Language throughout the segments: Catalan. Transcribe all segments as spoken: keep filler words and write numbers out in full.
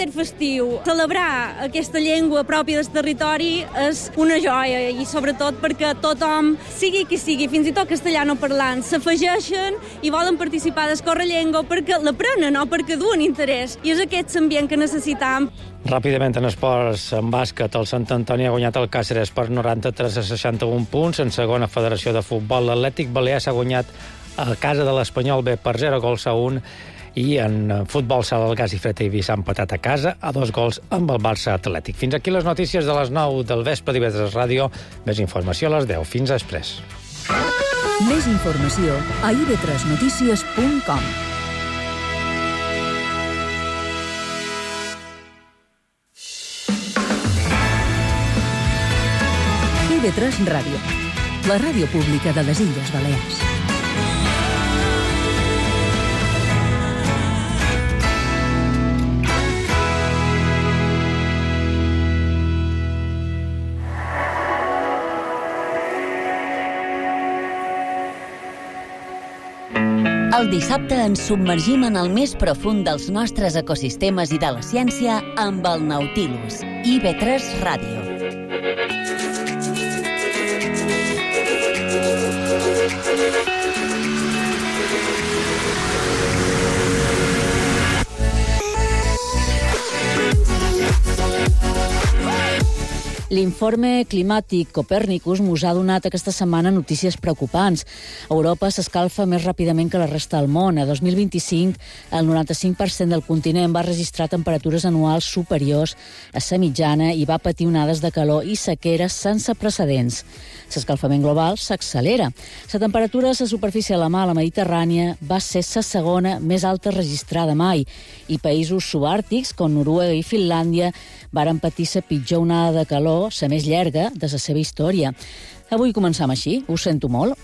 caràcter festiu, celebrar aquesta llengua pròpia del territori és una joia, i sobretot perquè tothom, sigui qui sigui, fins i tot castellano parlant, s'afegeixen i volen participar del Correllengua perquè l'aprenen o perquè duen interès. I és aquest ambient que necessitam. Ràpidament en esports, en bàsquet, el Sant Antoni ha guanyat el Càceres per noranta-tres a seixanta-un punts. En segona federació de futbol, l'Atlètic Balear s'ha guanyat a casa de l'Espanyol B per zero gols a un. I en futbol sala el Gas i Fred Eivissa s'ha empatat a casa a dos gols amb el Barça Atlètic. Fins aquí les notícies de les nou del vespre d'I V tres Ràdio. Més informació a les deu. Fins després. Més informació a i ve tres notícies punt com. I ve tres Ràdio, la ràdio pública de les Illes Balears. El dissabte ens submergim en el més profund dels nostres ecosistemes i de la ciència amb el Nautilus. I ve tres Ràdio. L'informe climàtic Copernicus mos ha donat aquesta setmana notícies preocupants. Europa s'escalfa més ràpidament que la resta del món. A dos mil vint-i-cinc, el noranta-cinc per cent del continent va registrar temperatures anuals superiors a la mitjana i va patir onades de calor i sequeres sense precedents. L'escalfament global s'accelera. La temperatura a la superfície de la mar, la Mediterrània, va ser la segona més alta registrada mai, i països subàrtics, com Noruega i Finlàndia, varen patir la pitjor onada de calor, la més llarga de la seva història. Avui començam així, ho sento molt.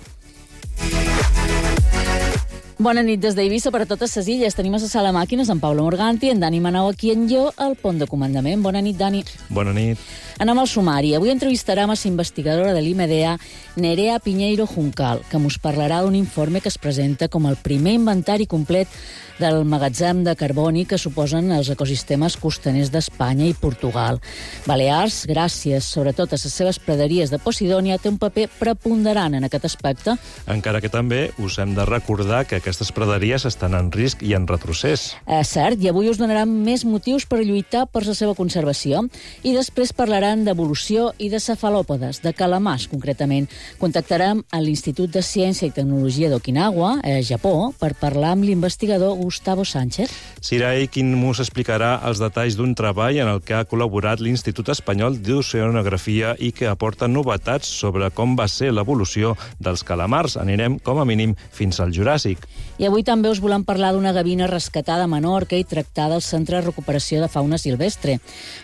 Bona nit des d'Eivissa per a totes les illes. Tenim a la sala màquines en Pablo Morganti, en Dani Manau aquí en jo, al pont de comandament. Bona nit, Dani. Bona nit. Anem al sumari. Avui entrevistarem a la investigadora de l'I M D A, Nerea Piñeiro Juncal, que mos parlarà d'un informe que es presenta com el primer inventari complet del magatzem de carboni que suposen els ecosistemes costaners d'Espanya i Portugal. Balears, gràcies sobretot a les seves praderies de Posidònia, té un paper preponderant en aquest aspecte. Encara que també us hem de recordar que aquestes praderies estan en risc i en retrocés. Eh, cert, i avui us donarem més motius per lluitar per la seva conservació. I després parlaran d'evolució i de cefalòpodes, de calamars concretament. Contactarem a l'Institut de Ciència i Tecnologia d'Okinawa, a Japó, per parlar amb l'investigador Gustavo Sánchez. Serà ell qui mos explicarà els detalls d'un treball en el que ha col·laborat l'Institut Espanyol d'Oceanografia i que aporta novetats sobre com va ser l'evolució dels calamars. Anirem, com a mínim, fins al Juràssic. I avui també us volem parlar d'una gavina rescatada a Menorca i tractada al Centre de Recuperació de Fauna Silvestre.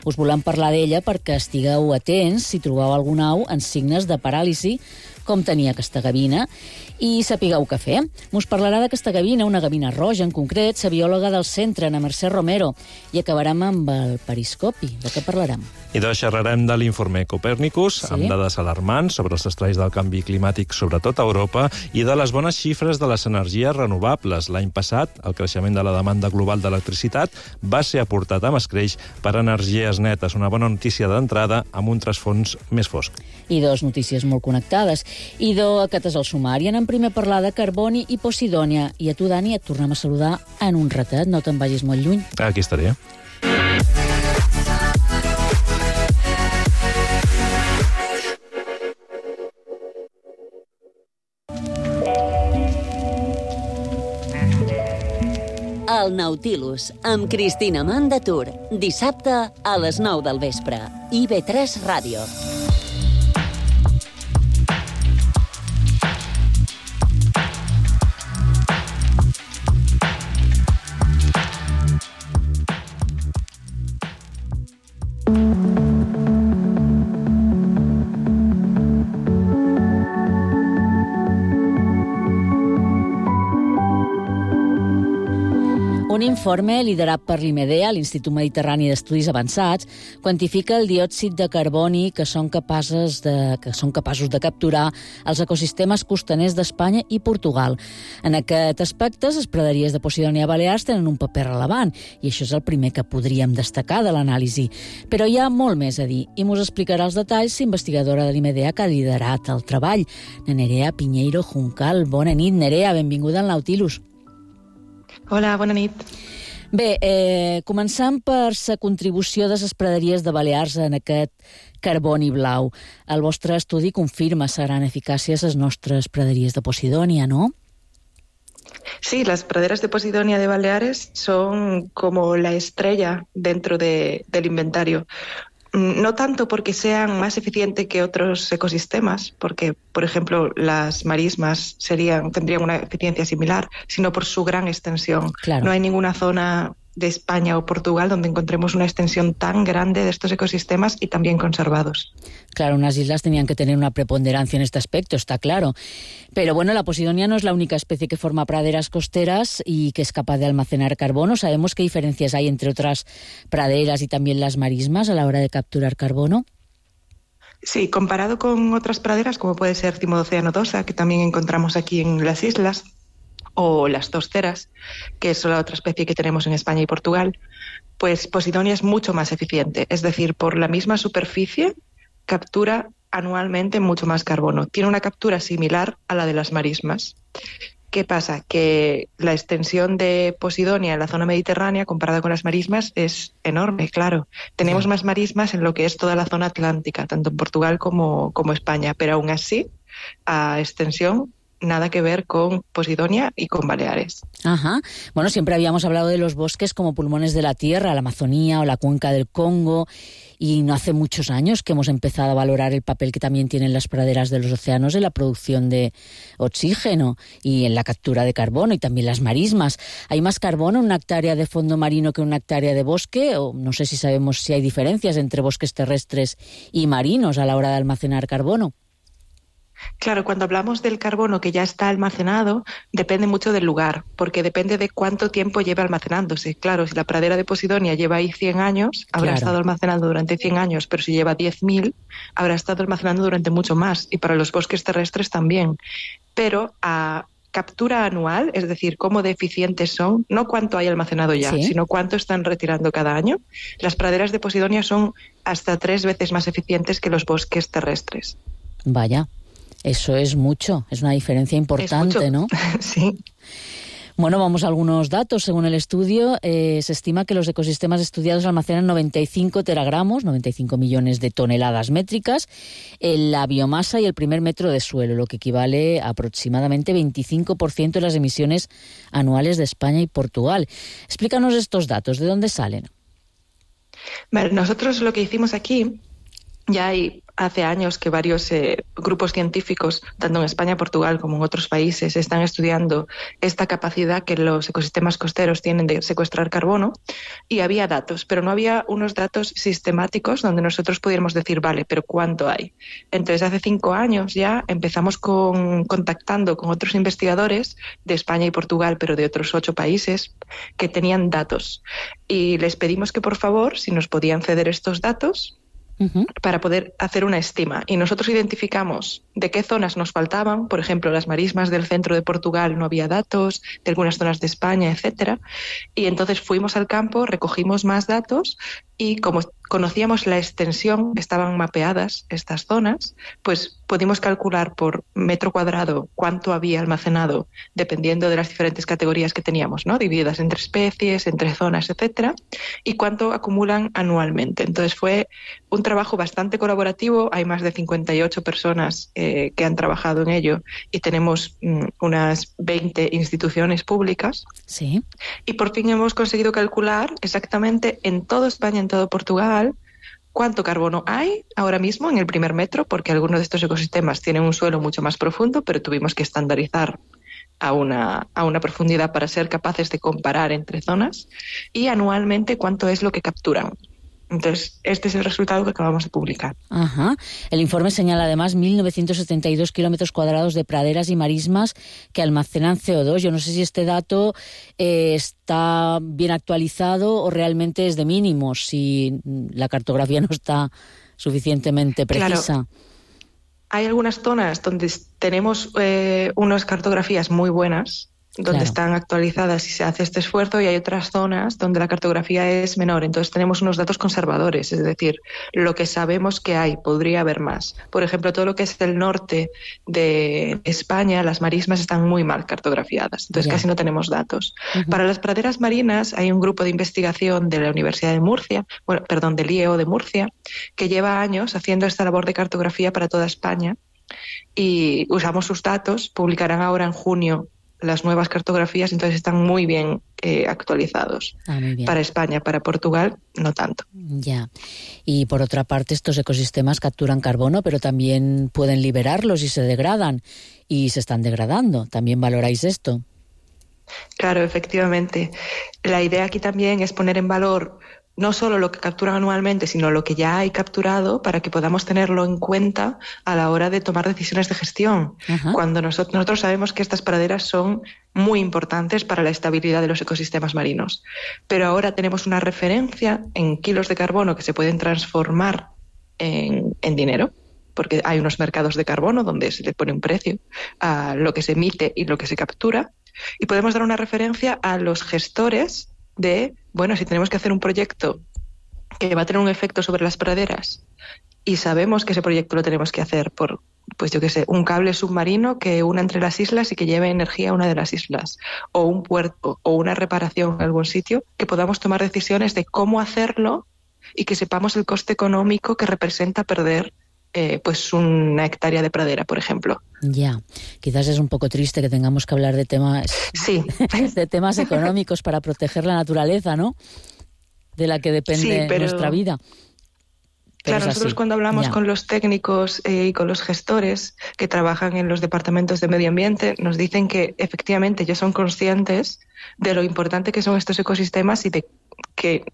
Us volem parlar d'ella perquè estigueu atents si trobeu algun au en signes de paràlisi, com tenia aquesta gavina, i sapigueu què fer. Mos parlarà d'aquesta gavina, una gavina roja en concret, la biòloga del centre, Ana Mercè Romero, i acabarem amb el periscopi. De què parlarem? I doncs xerrarem de l'informe Copernicus, sí, amb dades alarmants sobre els estralls del canvi climàtic, sobretot a Europa, i de les bones xifres de les energies renovables. L'any passat, el creixement de la demanda global d'electricitat va ser aportat amb escreix per energies netes. Una bona notícia d'entrada amb un trasfons més fosc. I dos notícies molt connectades. I do, aquest és el sumari. Anem primer a parlar de carboni i Posidònia. I a tu, Dani, et tornem a saludar en un ratet. No te'n vagis molt lluny. Aquí estaré. El Nautilus, amb Cristina Mandatur. Dissabte a les nou del vespre. I ve tres Ràdio. Un informe liderat per l'IMEDEA, l'Institut Mediterrani d'Estudis Avançats, quantifica el diòxid de carboni que són capaços de, que són capaços de capturar els ecosistemes costaners d'Espanya i Portugal. En aquest aspecte, les praderies de Posidònia Balears tenen un paper rellevant i això és el primer que podríem destacar de l'anàlisi. Però hi ha molt més a dir i mos explicarà els detalls l'investigadora de l'IMEDEA que ha liderat el treball, Nerea Piñeiro Juncal. Bona nit, Nerea, benvinguda al Nautilus. Hola, bona nit. Bé, eh, començant per la contribució de les praderies de Balears en aquest carboni blau. El vostre estudi confirma la gran eficàcia de les nostres praderies de Posidònia, ¿no? Sí, las praderas de Posidònia de Baleares son como la estrella dentro de, del inventario. No tanto porque sean más eficientes que otros ecosistemas, porque, por ejemplo, las marismas serían, tendrían una eficiencia similar, sino por su gran extensión. Claro. No hay ninguna zona de España o Portugal donde encontremos una extensión tan grande de estos ecosistemas y tan bien conservados. Claro, unas islas tenían que tener una preponderancia en este aspecto, está claro. Pero bueno, la Posidonia no es la única especie que forma praderas costeras y que es capaz de almacenar carbono. ¿Sabemos qué diferencias hay entre otras praderas y también las marismas a la hora de capturar carbono? Sí, comparado con otras praderas, como puede ser Cimodocea nodosa, que también encontramos aquí en las islas, o las tosteras, que es la otra especie que tenemos en España y Portugal, pues Posidònia es mucho más eficiente. Es decir, por la misma superficie captura anualmente mucho más carbono. Tiene una captura similar a la de las marismas. ¿Qué pasa? Que la extensión de Posidònia en la zona mediterránea, comparada con las marismas, es enorme, claro. Tenemos sí. más marismas en lo que es toda la zona atlántica, tanto en Portugal como, como España, pero aún así, a extensión, nada que ver con Posidònia y con Baleares. Ajá. Bueno, siempre habíamos hablado de los bosques como pulmones de la tierra, la Amazonía o la cuenca del Congo, y no hace muchos años que hemos empezado a valorar el papel que también tienen las praderas de los océanos en la producción de oxígeno y en la captura de carbono, y también las marismas. ¿Hay más carbono en una hectárea de fondo marino que en una hectárea de bosque? O no sé si sabemos si hay diferencias entre bosques terrestres y marinos a la hora de almacenar carbono. Claro, cuando hablamos del carbono que ya está almacenado, depende mucho del lugar, porque depende de cuánto tiempo lleva almacenándose. Claro, si la pradera de Posidònia lleva ahí cien años, habrá claro. estado almacenando durante cien años, pero si lleva diez mil, habrá estado almacenando durante mucho más, y para los bosques terrestres también. Pero a captura anual, es decir, cómo de eficientes son, no cuánto hay almacenado ya, ¿sí? sino cuánto están retirando cada año, las praderas de Posidònia son hasta tres veces más eficientes que los bosques terrestres. Vaya. Eso es mucho, es una diferencia importante, ¿no? Sí. Bueno, vamos a algunos datos. Según el estudio, eh, se estima que los ecosistemas estudiados almacenan noventa y cinco teragramos, noventa y cinco millones de toneladas métricas, en la biomasa y el primer metro de suelo, lo que equivale a aproximadamente veinticinco por ciento de las emisiones anuales de España y Portugal. Explícanos estos datos, ¿de dónde salen? Bueno, nosotros lo que hicimos aquí, ya hay hace años que varios eh, grupos científicos, tanto en España, Portugal como en otros países, están estudiando esta capacidad que los ecosistemas costeros tienen de secuestrar carbono, y había datos, pero no había unos datos sistemáticos donde nosotros pudiéramos decir, vale, pero ¿cuánto hay? Entonces, hace cinco años ya empezamos con, contactando con otros investigadores de España y Portugal, pero de otros ocho países, que tenían datos. Y les pedimos que, por favor, si nos podían ceder estos datos, Uh-huh. para poder hacer una estima. Y nosotros identificamos de qué zonas nos faltaban, por ejemplo, las marismas del centro de Portugal no había datos, de algunas zonas de España, etcétera. Y entonces fuimos al campo, recogimos más datos, y como conocíamos la extensión, estaban mapeadas estas zonas, pues pudimos calcular por metro cuadrado cuánto había almacenado, dependiendo de las diferentes categorías que teníamos, ¿no? Divididas entre especies, entre zonas, etcétera, y cuánto acumulan anualmente. Entonces fue un trabajo bastante colaborativo. Hay más de cincuenta y ocho personas eh, que han trabajado en ello, y tenemos mm, unas veinte instituciones públicas. Sí. Y por fin hemos conseguido calcular exactamente en toda España, en todo Portugal, cuánto carbono hay ahora mismo en el primer metro, porque algunos de estos ecosistemas tienen un suelo mucho más profundo, pero tuvimos que estandarizar a una, a una profundidad para ser capaces de comparar entre zonas, y anualmente cuánto es lo que capturan. Entonces, este es el resultado que acabamos de publicar. Ajá. El informe señala además mil novecientos setenta y dos kilómetros cuadrados de praderas y marismas que almacenan C O dos. Yo no sé si este dato eh, está bien actualizado o realmente es de mínimos, si la cartografía no está suficientemente precisa. Claro. Hay algunas zonas donde tenemos eh, unas cartografías muy buenas, donde claro. están actualizadas y se hace este esfuerzo, y hay otras zonas donde la cartografía es menor. Entonces tenemos unos datos conservadores, es decir, lo que sabemos que hay, podría haber más. Por ejemplo, todo lo que es el norte de España, las marismas están muy mal cartografiadas, entonces yeah. casi no tenemos datos. Uh-huh. Para las praderas marinas hay un grupo de investigación de la Universidad de Murcia, bueno, perdón, del I E O de Murcia, que lleva años haciendo esta labor de cartografía para toda España, y usamos sus datos. Publicarán ahora en junio las nuevas cartografías, entonces están muy bien eh, actualizados. Ah, muy bien. Para España, para Portugal, no tanto. Ya. Y por otra parte, estos ecosistemas capturan carbono, pero también pueden liberarlos y se degradan, y se están degradando. ¿También valoráis esto? Claro, efectivamente. La idea aquí también es poner en valor no solo lo que capturan anualmente, sino lo que ya hay capturado, para que podamos tenerlo en cuenta a la hora de tomar decisiones de gestión. Ajá. Cuando nosotros, nosotros sabemos que estas praderas son muy importantes para la estabilidad de los ecosistemas marinos. Pero ahora tenemos una referencia en kilos de carbono que se pueden transformar en, en dinero, porque hay unos mercados de carbono donde se le pone un precio a lo que se emite y lo que se captura. Y podemos dar una referencia a los gestores de, bueno, si tenemos que hacer un proyecto que va a tener un efecto sobre las praderas y sabemos que ese proyecto lo tenemos que hacer por, pues yo qué sé, un cable submarino que una entre las islas y que lleve energía a una de las islas, o un puerto, o una reparación en algún sitio, que podamos tomar decisiones de cómo hacerlo y que sepamos el coste económico que representa perder Eh, pues una hectárea de pradera, por ejemplo. Ya, quizás es un poco triste que tengamos que hablar de temas, sí. de temas económicos para proteger la naturaleza, ¿no? De la que depende sí, pero, nuestra vida. Pero claro, nosotros cuando hablamos ya. con los técnicos eh, y con los gestores que trabajan en los departamentos de medio ambiente, nos dicen que efectivamente ellos son conscientes de lo importante que son estos ecosistemas y de que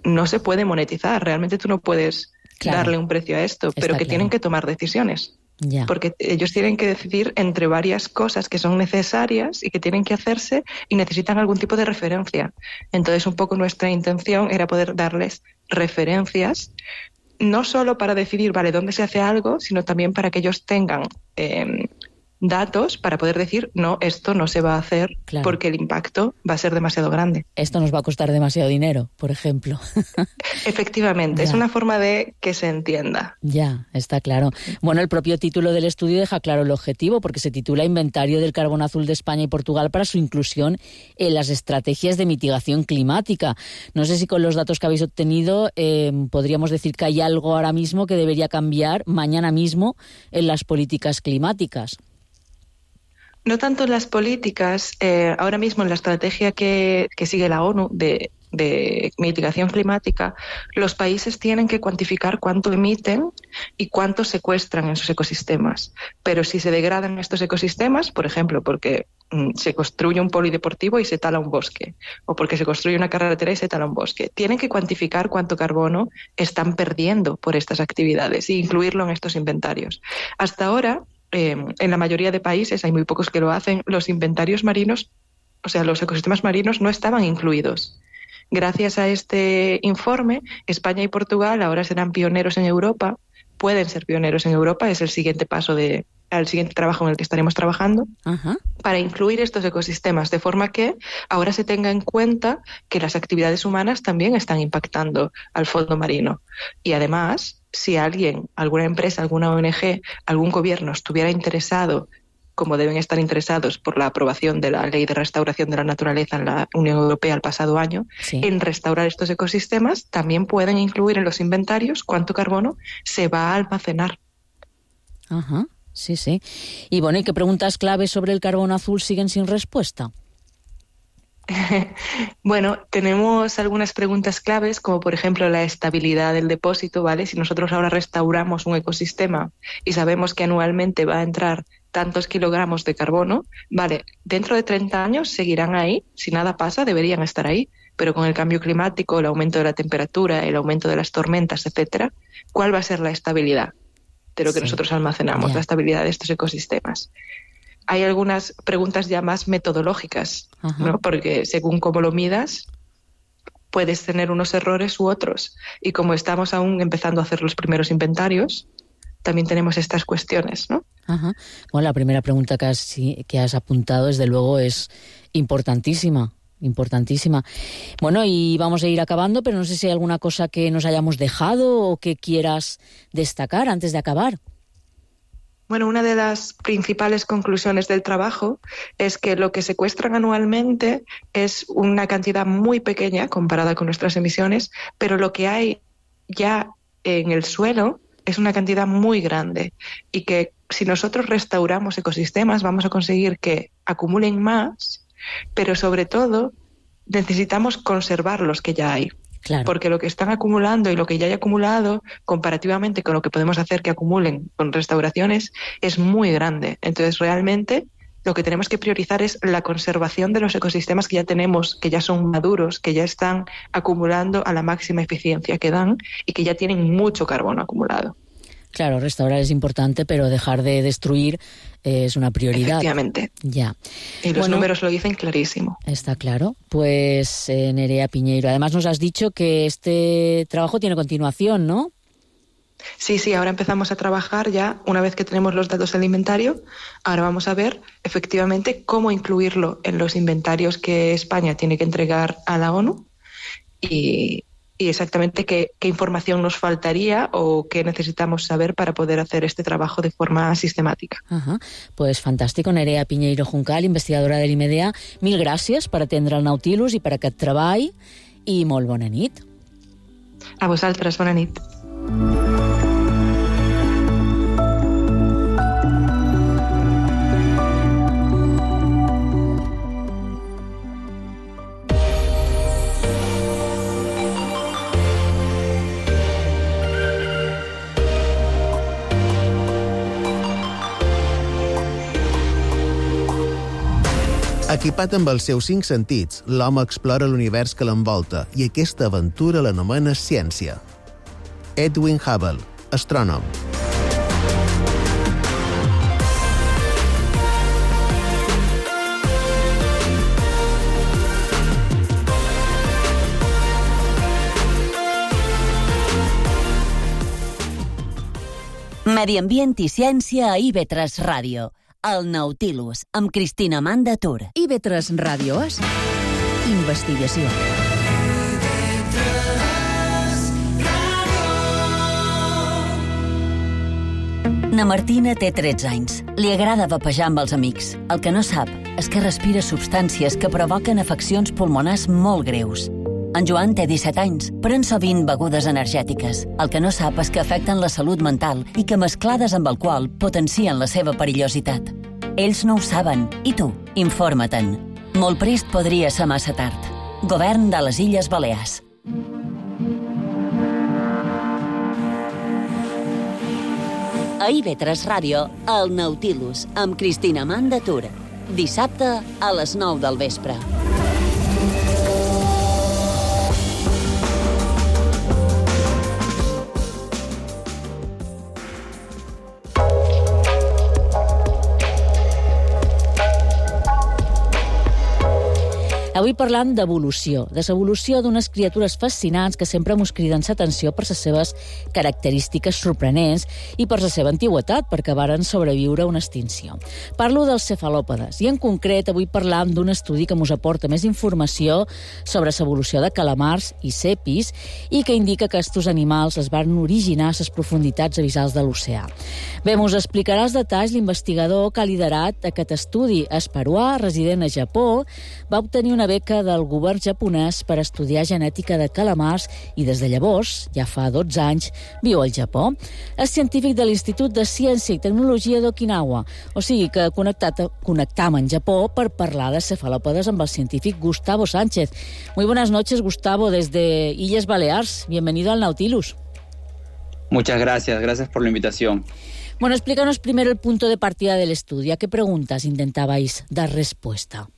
no se puede monetizar. Realmente tú no puedes Claro. darle un precio a esto, pero Está que claro. tienen que tomar decisiones. Ya. Porque ellos tienen que decidir entre varias cosas que son necesarias y que tienen que hacerse, y necesitan algún tipo de referencia. Entonces, un poco nuestra intención era poder darles referencias, no solo para decidir, vale, dónde se hace algo, sino también para que ellos tengan eh, datos para poder decir, no, esto no se va a hacer claro. porque el impacto va a ser demasiado grande. Esto nos va a costar demasiado dinero, por ejemplo. Efectivamente, ya. es una forma de que se entienda. Ya, está claro. Bueno, el propio título del estudio deja claro el objetivo, porque se titula Inventario del Carbono Azul de España y Portugal para su inclusión en las estrategias de mitigación climática. No sé si con los datos que habéis obtenido eh, podríamos decir que hay algo ahora mismo que debería cambiar mañana mismo en las políticas climáticas. No tanto en las políticas, eh, ahora mismo en la estrategia que, que sigue la ONU de, de mitigación climática, los países tienen que cuantificar cuánto emiten y cuánto secuestran en sus ecosistemas. Pero si se degradan estos ecosistemas, por ejemplo, porque mm, se construye un polideportivo y se tala un bosque, o porque se construye una carretera y se tala un bosque, tienen que cuantificar cuánto carbono están perdiendo por estas actividades e incluirlo en estos inventarios. Hasta ahora, Eh, en la mayoría de países, hay muy pocos que lo hacen, los inventarios marinos, o sea, los ecosistemas marinos no estaban incluidos. Gracias a este informe, España y Portugal ahora serán pioneros en Europa, pueden ser pioneros en Europa, es el siguiente paso de, el siguiente trabajo en el que estaremos trabajando, uh-huh. para incluir estos ecosistemas, de forma que ahora se tenga en cuenta que las actividades humanas también están impactando al fondo marino. Y además, si alguien, alguna empresa, alguna O N G, algún gobierno estuviera interesado, como deben estar interesados por la aprobación de la Ley de Restauración de la Naturaleza en la Unión Europea el pasado año, sí. en restaurar estos ecosistemas, también pueden incluir en los inventarios cuánto carbono se va a almacenar. Ajá, sí, sí. Y bueno, ¿y qué preguntas claves sobre el carbono azul siguen sin respuesta? Bueno, tenemos algunas preguntas claves, como por ejemplo la estabilidad del depósito, ¿vale? Si nosotros ahora restauramos un ecosistema y sabemos que anualmente va a entrar tantos kilogramos de carbono, vale, dentro de treinta años seguirán ahí, si nada pasa deberían estar ahí, pero con el cambio climático, el aumento de la temperatura, el aumento de las tormentas, etcétera, ¿cuál va a ser la estabilidad de lo que sí. nosotros almacenamos, yeah. la estabilidad de estos ecosistemas? Hay algunas preguntas ya más metodológicas, ¿no? Porque según cómo lo midas, puedes tener unos errores u otros. Y como estamos aún empezando a hacer los primeros inventarios, también tenemos estas cuestiones, ¿no? Ajá. Bueno, la primera pregunta que has, que has apuntado, desde luego, es importantísima. Importantísima. Bueno, y vamos a ir acabando, pero no sé si hay alguna cosa que nos hayamos dejado o que quieras destacar antes de acabar. Bueno, una de las principales conclusiones del trabajo es que lo que secuestran anualmente es una cantidad muy pequeña comparada con nuestras emisiones, pero lo que hay ya en el suelo es una cantidad muy grande y que si nosotros restauramos ecosistemas vamos a conseguir que acumulen más, pero sobre todo necesitamos conservar los que ya hay. Claro. Porque lo que están acumulando y lo que ya hay acumulado, comparativamente con lo que podemos hacer que acumulen con restauraciones, es muy grande. Entonces, realmente, lo que tenemos que priorizar es la conservación de los ecosistemas que ya tenemos, que ya son maduros, que ya están acumulando a la máxima eficiencia que dan y que ya tienen mucho carbono acumulado. Claro, restaurar es importante, pero dejar de destruir eh, es una prioridad. Efectivamente. Ya. Y los bueno, números lo dicen clarísimo. Está claro. Pues eh, Nerea Piñeiro, además nos has dicho que este trabajo tiene continuación, ¿no? Sí, sí, ahora empezamos a trabajar ya, una vez que tenemos los datos del inventario, ahora vamos a ver efectivamente cómo incluirlo en los inventarios que España tiene que entregar a la ONU y... y exactamente qué, qué información nos faltaría o qué necesitamos saber para poder hacer este trabajo de forma sistemática. Ajá. Pues fantàstic. Nerea Piñeiro Juncal, investigadora de l'I M D A, mil gràcies per atendre el Nautilus i per aquest treball i molt bona nit. A vosaltres, bona nit. Equipat amb els seus cinc sentits, l'home explora l'univers que l'envolta i aquesta aventura l'anomena ciència. Edwin Hubble, astrònom. Medi ambient i ciència a I V tres Ràdio. El Nautilus, amb Cristina Manda Tur. I V tres Ràdio és investigació. Na Martina té tretze anys. Li agrada vapejar amb els amics. El que no sap és que respira substàncies que provoquen afeccions pulmonars molt greus. En Joan té disset anys, pren sovint begudes energètiques. El que no sap és que afecten la salut mental i que mesclades amb alcohol potencien la seva perillositat. Ells no ho saben, i tu, informa-te'n. Molt prest podria ser massa tard. Govern de les Illes Balears. A I V tres Ràdio, el Nautilus, amb Cristina Manda Tur. Dissabte a les nou del vespre. Avui parlant d'evolució, de l'evolució d'unes criatures fascinants que sempre mos criden l'atenció per les seves característiques sorprenents i per la seva antiguitat, perquè varen sobreviure a una extinció. Parlo dels cefalòpodes i en concret avui parlam d'un estudi que mos aporta més informació sobre l'evolució de calamars i cepis i que indica que aquests animals es van originar a les profunditats abissals de l'oceà. Bé, mos explicarà els detalls l'investigador que ha liderat aquest estudi. És peruà, resident a Japó, va obtenir una beca del govern japonès per estudiar genètica de calamars i des de llavors, ja fa dotze anys, viu al Japó. És científic de l'Institut de Ciència i Tecnologia d'Okinawa, o sigui que connectat, connectam en Japó per parlar de cefalòpodes amb el científic Gustavo Sánchez. Muy buenas noches, Gustavo, desde Illes Balears. Bienvenido al Nautilus. Muchas gracias, gracias por la invitación. Bueno, explícanos primero el punto de partida del estudio. ¿A qué preguntas intentabais dar respuesta?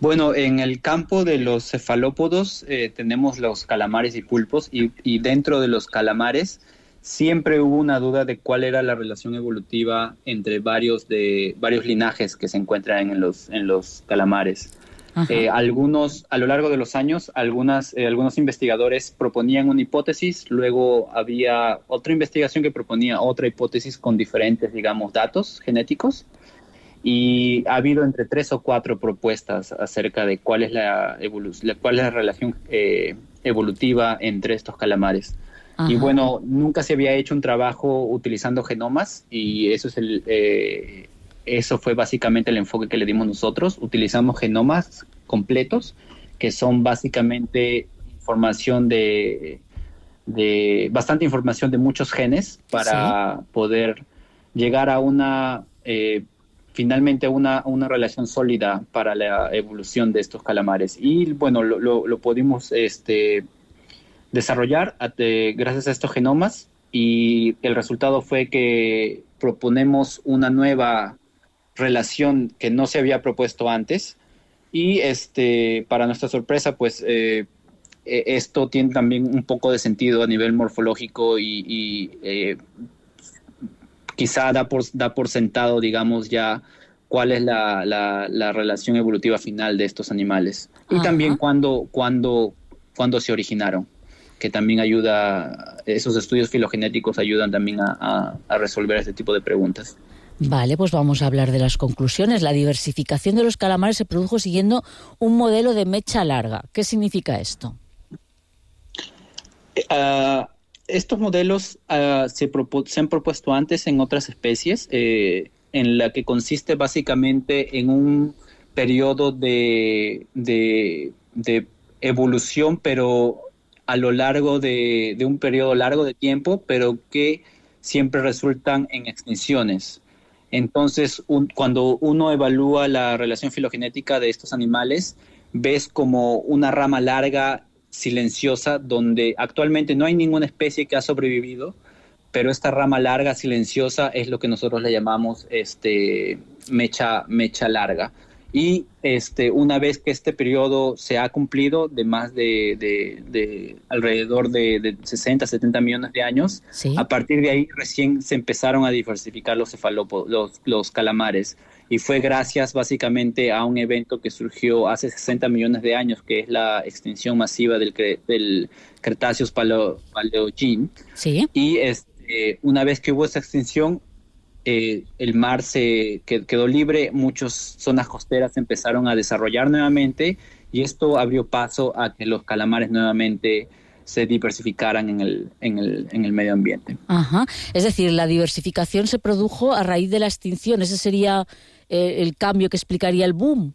Bueno, en el campo de los cefalópodos eh, tenemos los calamares y pulpos, y, y dentro de los calamares siempre hubo una duda de cuál era la relación evolutiva entre varios de varios linajes que se encuentran en los en los calamares. Eh, algunos, a lo largo de los años, algunas, eh, algunos investigadores proponían una hipótesis, luego había otra investigación que proponía otra hipótesis con diferentes, digamos, datos genéticos, y ha habido entre tres o cuatro propuestas acerca de cuál es la, evolu- cuál es la relación eh, evolutiva entre estos calamares. Ajá. Y bueno, nunca se había hecho un trabajo utilizando genomas, y eso es el... Eh, Eso fue básicamente el enfoque que le dimos nosotros. Utilizamos genomas completos, que son básicamente información de, de bastante información de muchos genes para ¿sí? poder llegar a una, eh, finalmente una, una relación sólida para la evolución de estos calamares. Y bueno, lo, lo, lo pudimos este, desarrollar de, gracias a estos genomas, y el resultado fue que proponemos una nueva relación que no se había propuesto antes, y este para nuestra sorpresa pues eh, esto tiene también un poco de sentido a nivel morfológico, y, y eh, quizá da por, da por sentado, digamos, ya cuál es la, la, la relación evolutiva final de estos animales. Ajá. Y también cuándo cuando, cuando se originaron, que también ayuda, esos estudios filogenéticos ayudan también a, a, a resolver este tipo de preguntas. Vale, pues vamos a hablar de las conclusiones. La diversificación de los calamares se produjo siguiendo un modelo de mecha larga. ¿Qué significa esto? Uh, estos modelos uh, se, propu- se han propuesto antes en otras especies, eh, en la que consiste básicamente en un periodo de, de, de evolución, pero a lo largo de, de un periodo largo de tiempo, pero que siempre resultan en extinciones. Entonces, un, cuando uno evalúa la relación filogenética de estos animales, ves como una rama larga, silenciosa, donde actualmente no hay ninguna especie que ha sobrevivido, pero esta rama larga, silenciosa, es lo que nosotros le llamamos este, mecha, mecha larga. Y este, una vez que este periodo se ha cumplido de más de, de, de alrededor de, de sesenta, setenta millones de años, ¿sí? A partir de ahí recién se empezaron a diversificar los cefalópodos, los, los calamares. Y fue gracias básicamente a un evento que surgió hace sesenta millones de años, que es la extinción masiva del, del Cretaceous paleo, Paleogene. ¿Sí? Y este, una vez que hubo esa extinción, Eh, el mar se quedó libre, muchas zonas costeras empezaron a desarrollar nuevamente, y esto abrió paso a que los calamares nuevamente se diversificaran en el, en el, en el medio ambiente. Ajá. Es decir, la diversificación se produjo a raíz de la extinción. ¿Ese sería eh, el cambio que explicaría el boom?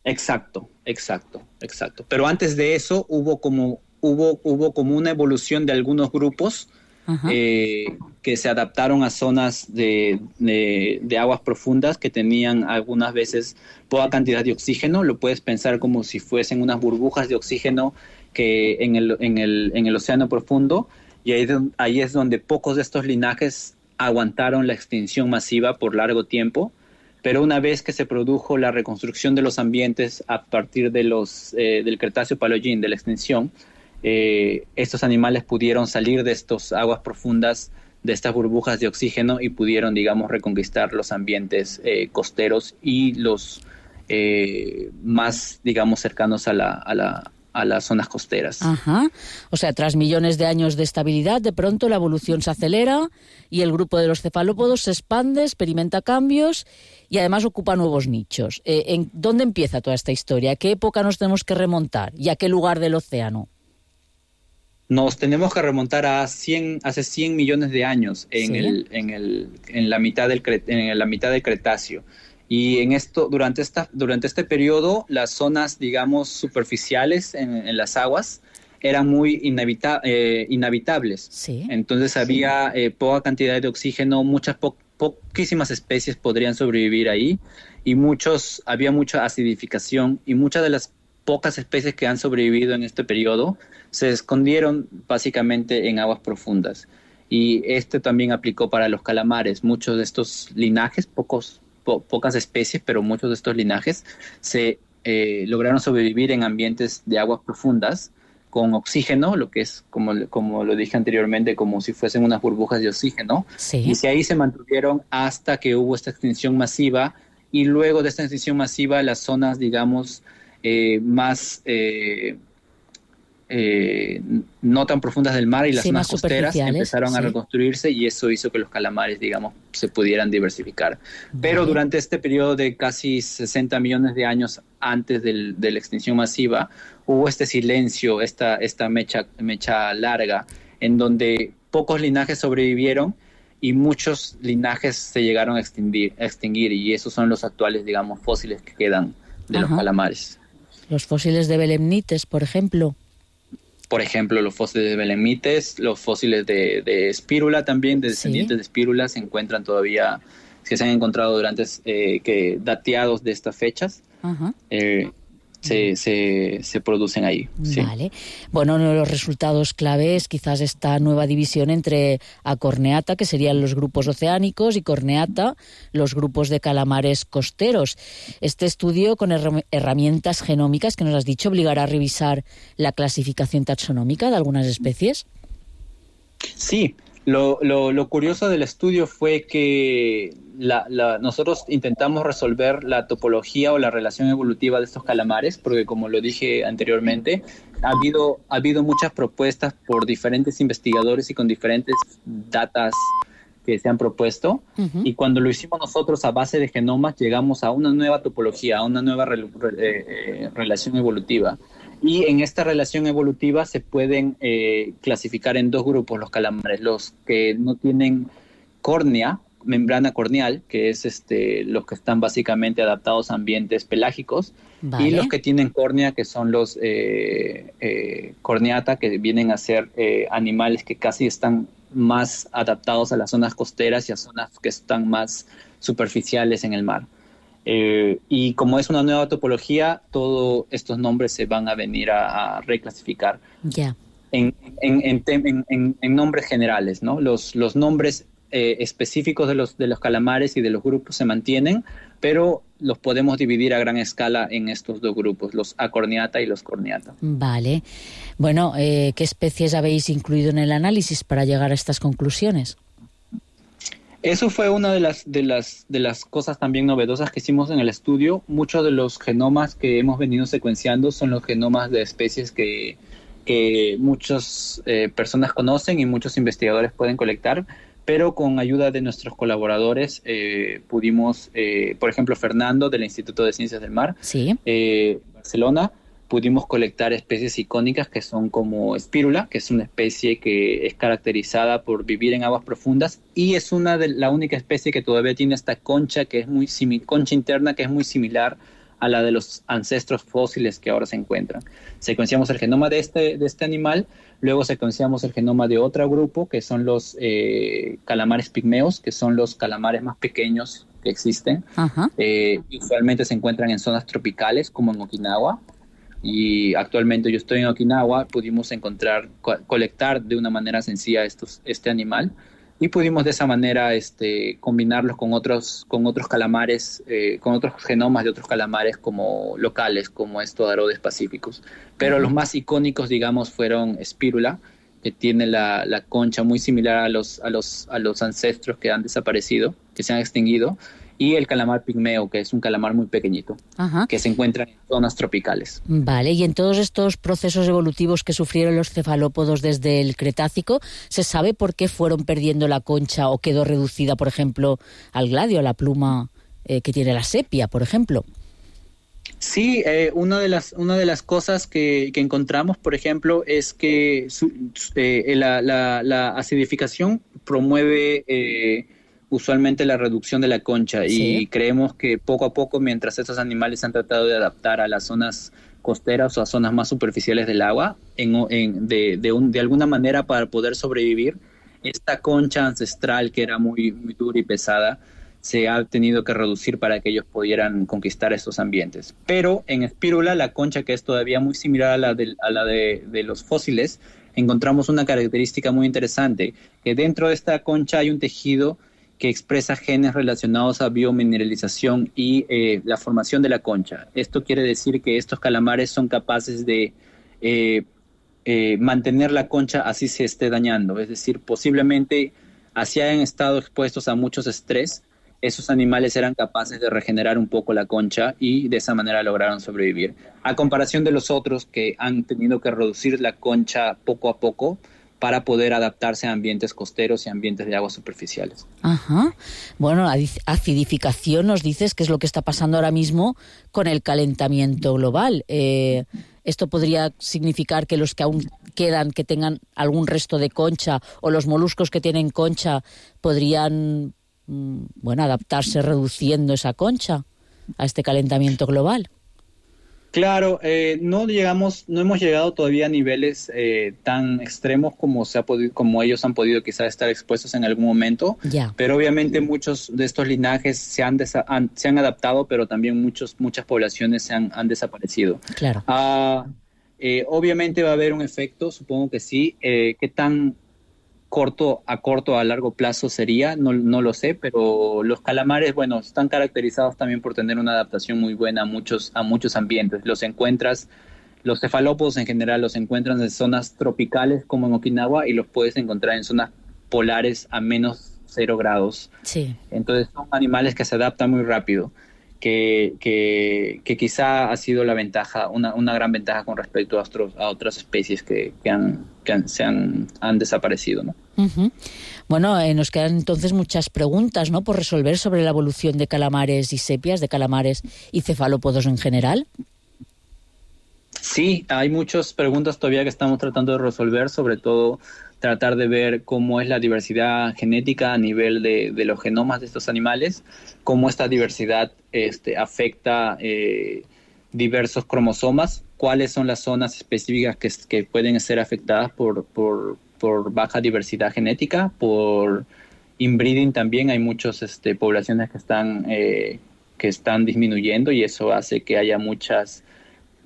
Exacto, exacto, exacto. Pero antes de eso hubo como, hubo, hubo como una evolución de algunos grupos Eh, que se adaptaron a zonas de, de, de aguas profundas que tenían algunas veces poca cantidad de oxígeno. Lo puedes pensar como si fuesen unas burbujas de oxígeno que en el, en el, en el océano profundo, y ahí, ahí es donde pocos de estos linajes aguantaron la extinción masiva por largo tiempo. Pero una vez que se produjo la reconstrucción de los ambientes a partir de los, eh, del Cretáceo Paleogene, de la extinción, Eh, estos animales pudieron salir de estas aguas profundas, de estas burbujas de oxígeno, y pudieron, digamos, reconquistar los ambientes eh, costeros y los eh, más, digamos, cercanos a, la, a, la, a las zonas costeras. Ajá. O sea, tras millones de años de estabilidad, de pronto la evolución se acelera y el grupo de los cefalópodos se expande, experimenta cambios y además ocupa nuevos nichos. Eh, ¿en dónde empieza toda esta historia? ¿A qué época nos tenemos que remontar? ¿Y a qué lugar del océano? Nos tenemos que remontar a cien, hace cien millones de años, en, ¿sí? el, en, el, en, la mitad del, en la mitad del Cretáceo. Y en esto, durante, esta, durante este periodo, las zonas, digamos, superficiales en, en las aguas eran muy inhabita, eh, inhabitables. ¿Sí? Entonces había eh, poca cantidad de oxígeno, muchas po, poquísimas especies podrían sobrevivir ahí, y muchos, había mucha acidificación, y muchas de las pocas especies que han sobrevivido en este periodo se escondieron básicamente en aguas profundas. Y esto también aplicó para los calamares. Muchos de estos linajes, pocos, po, pocas especies, pero muchos de estos linajes se eh, lograron sobrevivir en ambientes de aguas profundas con oxígeno, lo que es, como, como lo dije anteriormente, como si fuesen unas burbujas de oxígeno. Sí. Y si ahí se mantuvieron hasta que hubo esta extinción masiva, y luego de esta extinción masiva las zonas, digamos, eh, más eh, eh, no tan profundas del mar y las sí, zonas costeras empezaron sí. a reconstruirse, y eso hizo que los calamares, digamos, se pudieran diversificar. Vale. Pero durante este periodo de casi sesenta millones de años antes del, de la extinción masiva, hubo este silencio, esta, esta mecha, mecha larga, en donde pocos linajes sobrevivieron y muchos linajes se llegaron a extinguir, a extinguir y esos son los actuales, digamos, fósiles que quedan de Ajá. los calamares. Los fósiles de belemnites, por ejemplo. Por ejemplo, los fósiles de belemnites, los fósiles de, de espírula también, de descendientes ¿Sí? de espírula, se encuentran todavía, que se han encontrado durante, eh, que dateados de estas fechas. Ajá. Eh, Se, se, se producen ahí. Sí. Vale. Bueno, uno de los resultados clave es quizás esta nueva división entre Acorneata, que serían los grupos oceánicos, y Corneata, los grupos de calamares costeros. Este estudio con her- herramientas genómicas que nos has dicho obligará a revisar la clasificación taxonómica de algunas especies. Sí. Lo, lo, lo curioso del estudio fue que la, la, nosotros intentamos resolver la topología o la relación evolutiva de estos calamares, porque como lo dije anteriormente, ha habido, ha habido muchas propuestas por diferentes investigadores y con diferentes datas que se han propuesto, uh-huh. y cuando lo hicimos nosotros a base de genomas llegamos a una nueva topología, a una nueva re, re, eh, relación evolutiva. Y en esta relación evolutiva se pueden eh, clasificar en dos grupos los calamares, los que no tienen córnea, membrana corneal, que es este, los que están básicamente adaptados a ambientes pelágicos, vale. y los que tienen córnea, que son los eh, eh, corneata, que vienen a ser eh, animales que casi están más adaptados a las zonas costeras y a zonas que están más superficiales en el mar. Eh, y como es una nueva topología, todos estos nombres se van a venir a, a reclasificar yeah. en, en, en, en, en, en nombres generales, ¿no? Los, los nombres eh, específicos de los, de los calamares y de los grupos se mantienen, pero los podemos dividir a gran escala en estos dos grupos, los Acorneata y los Corneata. Vale. Bueno, eh, ¿qué especies habéis incluido en el análisis para llegar a estas conclusiones? Eso fue una de las, de las, de las cosas también novedosas que hicimos en el estudio. Muchos de los genomas que hemos venido secuenciando son los genomas de especies que, que muchas eh, personas conocen y muchos investigadores pueden colectar, pero con ayuda de nuestros colaboradores eh, pudimos, eh, por ejemplo, Fernando del Instituto de Ciencias del Mar, sí. eh, Barcelona, pudimos colectar especies icónicas que son como espírula, que es una especie que es caracterizada por vivir en aguas profundas y es una de la única especie que todavía tiene esta concha que es muy simi- concha interna que es muy similar a la de los ancestros fósiles que ahora se encuentran. Secuenciamos el genoma de este, de este animal, luego secuenciamos el genoma de otro grupo que son los eh, calamares pigmeos, que son los calamares más pequeños que existen. Uh-huh. Eh, usualmente se encuentran en zonas tropicales como en Okinawa. Y actualmente yo estoy en Okinawa, pudimos encontrar, co- colectar de una manera sencilla estos, este animal y pudimos de esa manera este, combinarlos con otros, con otros calamares, eh, con otros genomas de otros calamares como locales, como estos arodes pacíficos. Pero uh-huh. los más icónicos, digamos, fueron espírula, que tiene la, la concha muy similar a los, a, los, a los ancestros que han desaparecido, que se han extinguido, y el calamar pigmeo, que es un calamar muy pequeñito, Ajá. que se encuentra en zonas tropicales. Vale, y en todos estos procesos evolutivos que sufrieron los cefalópodos desde el Cretácico, ¿se sabe por qué fueron perdiendo la concha o quedó reducida, por ejemplo, al gladio, a la pluma eh, que tiene la sepia, por ejemplo? Sí, eh, una de las una de las cosas que, que encontramos, por ejemplo, es que su, eh, la, la, la acidificación promueve eh, usualmente la reducción de la concha sí. y creemos que poco a poco, mientras estos animales han tratado de adaptar a las zonas costeras o a zonas más superficiales del agua, en, en, de, de, un, de alguna manera para poder sobrevivir, esta concha ancestral que era muy, muy dura y pesada, se ha tenido que reducir para que ellos pudieran conquistar estos ambientes. Pero en espírula, la concha, que es todavía muy similar a la de, a la de, de los fósiles, encontramos una característica muy interesante, que dentro de esta concha hay un tejido que expresa genes relacionados a biomineralización y eh, la formación de la concha. Esto quiere decir que estos calamares son capaces de eh, eh, mantener la concha así se esté dañando. Es decir, posiblemente así hayan estado expuestos a muchos estrés, esos animales eran capaces de regenerar un poco la concha y de esa manera lograron sobrevivir. A comparación de los otros que han tenido que reducir la concha poco a poco para poder adaptarse a ambientes costeros y ambientes de aguas superficiales. Ajá. Bueno, acidificación nos dices que es lo que está pasando ahora mismo con el calentamiento global. Eh, ¿Esto podría significar que los que aún quedan, que tengan algún resto de concha, o los moluscos que tienen concha, podrían... bueno, adaptarse reduciendo esa concha a este calentamiento global? Claro, eh, no llegamos, no hemos llegado todavía a niveles eh, tan extremos como se ha podido, como ellos han podido quizás estar expuestos en algún momento. Ya. Pero obviamente muchos de estos linajes se han, desa- han, se han adaptado, pero también muchos, muchas poblaciones se han, han desaparecido. Claro. Uh, eh, obviamente va a haber un efecto, supongo que sí. Eh, ¿Qué tan corto a corto a largo plazo sería? No, no lo sé, pero los calamares, bueno, están caracterizados también por tener una adaptación muy buena a muchos, a muchos ambientes. Los encuentras, los cefalópodos en general los encuentras en zonas tropicales como en Okinawa y los puedes encontrar en zonas polares a menos cero grados. Sí. Entonces son animales que se adaptan muy rápido, que, que, que quizá ha sido la ventaja, una, una gran ventaja con respecto a, otros, a otras especies que, que, han, que han, se han, han desaparecido, ¿no? Uh-huh. Bueno, eh, nos quedan entonces muchas preguntas, ¿no?, por resolver sobre la evolución de calamares y sepias, de calamares y cefalópodos en general. Sí, hay muchas preguntas todavía que estamos tratando de resolver, sobre todo tratar de ver cómo es la diversidad genética a nivel de, de los genomas de estos animales, cómo esta diversidad este, afecta eh, diversos cromosomas, cuáles son las zonas específicas que, que pueden ser afectadas por, por, por baja diversidad genética, por inbreeding también. Hay muchas este, poblaciones que están, eh, que están disminuyendo y eso hace que haya muchas...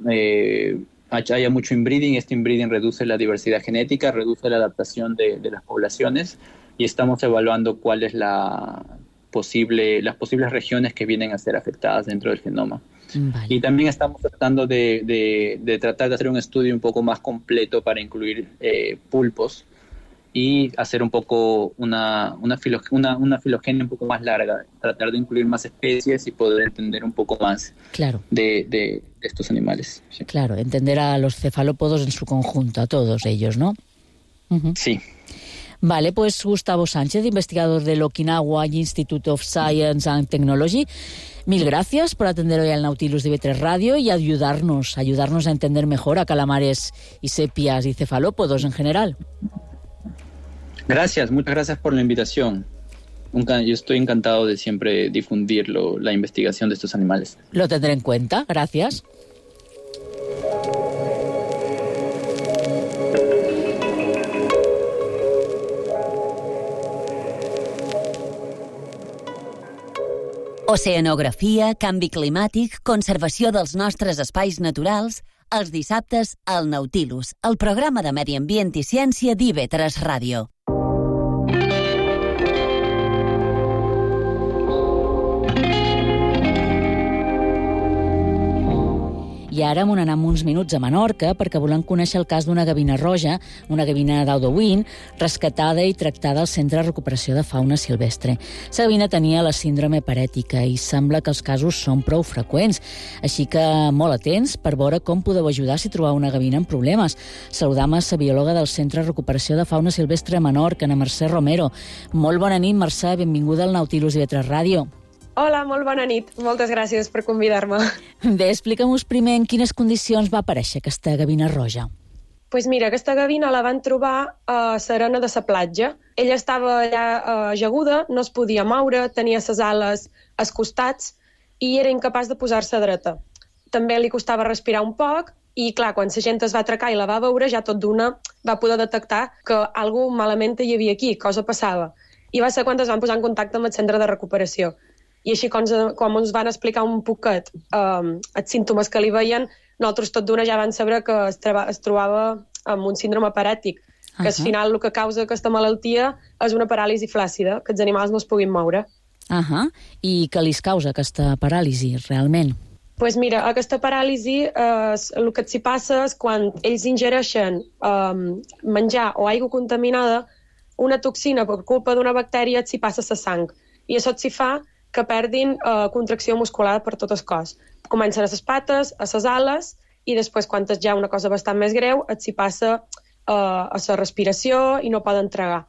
Eh, haya mucho inbreeding. Este inbreeding reduce la diversidad genética, reduce la adaptación de, de las poblaciones y estamos evaluando cuál es la posible, las posibles regiones que vienen a ser afectadas dentro del genoma. Vale. Y también estamos tratando de, de, de tratar de hacer un estudio un poco más completo para incluir eh, pulpos y hacer un poco una, una, filo, una, una filogenia un poco más larga, tratar de incluir más especies y poder entender un poco más claro. de, de estos animales. Sí. Claro, entender a los cefalópodos en su conjunto, a todos ellos, ¿no? Uh-huh. Sí. Vale, pues Gustavo Sánchez, investigador del Okinawa Institute of Science and Technology, mil gracias por atender hoy al Nautilus de I V tres Radio y ayudarnos, ayudarnos a entender mejor a calamares y sepias y cefalópodos en general. Gracias, muchas gracias por la invitación. Yo estoy encantado de siempre difundir lo, la investigación de estos animales. Lo tendré en cuenta, gracias. Oceanografia, canvi climàtic, conservació dels nostres espais naturals, els dissabtes al Nautilus, el programa de Medi Ambient i Ciència d'I V tres Ràdio. I ara m'ho anem uns minuts a Menorca perquè volem conèixer el cas d'una gavina roja, una gavina d'Audouin, rescatada i tractada al Centre de Recuperació de Fauna Silvestre. La gavina tenia la síndrome parètica i sembla que els casos són prou freqüents, així que molt atents per veure com podeu ajudar si trobeu una gavina amb problemes. Saludam a la biòloga del Centre de Recuperació de Fauna Silvestre a Menorca, Ana Mercè Romero. Molt bona nit, Mercè, benvinguda al Nautilus I V tres Ràdio. Hola, molt bona nit. Moltes gràcies per convidar-me. Bé, explica'm-nos primer en quines condicions va aparèixer aquesta gavina roja. Doncs pues mira, aquesta gavina la van trobar a l'arena de la platja. Ella estava allà ajaguda, no es podia moure, tenia les ales als costats i era incapaç de posar-se dreta. També li costava respirar un poc i, clar, quan la gent es va atracar i la va veure, ja tot d'una va poder detectar que alguna cosa malament hi havia aquí, cosa passava. I va ser quan es van posar en contacte amb el centre de recuperació. I així, quan, quan ens van explicar un poquet um, els símptomes que li veien, nosaltres tot d'una ja van saber que es, traba, es trobava amb un síndrome parètic. que al final el que causa aquesta malaltia és una paràlisi flàccida, que els animals no es puguin moure. Uh-huh. I què li causa aquesta paràlisi, realment? Doncs pues mira, aquesta paràlisi, eh, el que s'hi passa és quan ells ingereixen eh, menjar o aigua contaminada, una toxina per culpa d'una bactèria s'hi passa a la sang. I això s'hi fa que perdin eh, contracció muscular per tot el cos. Comencen a les pates, a les ales, i després, quan és ja una cosa bastant més greu, s'hi passa eh, a la respiració i no poden tragar.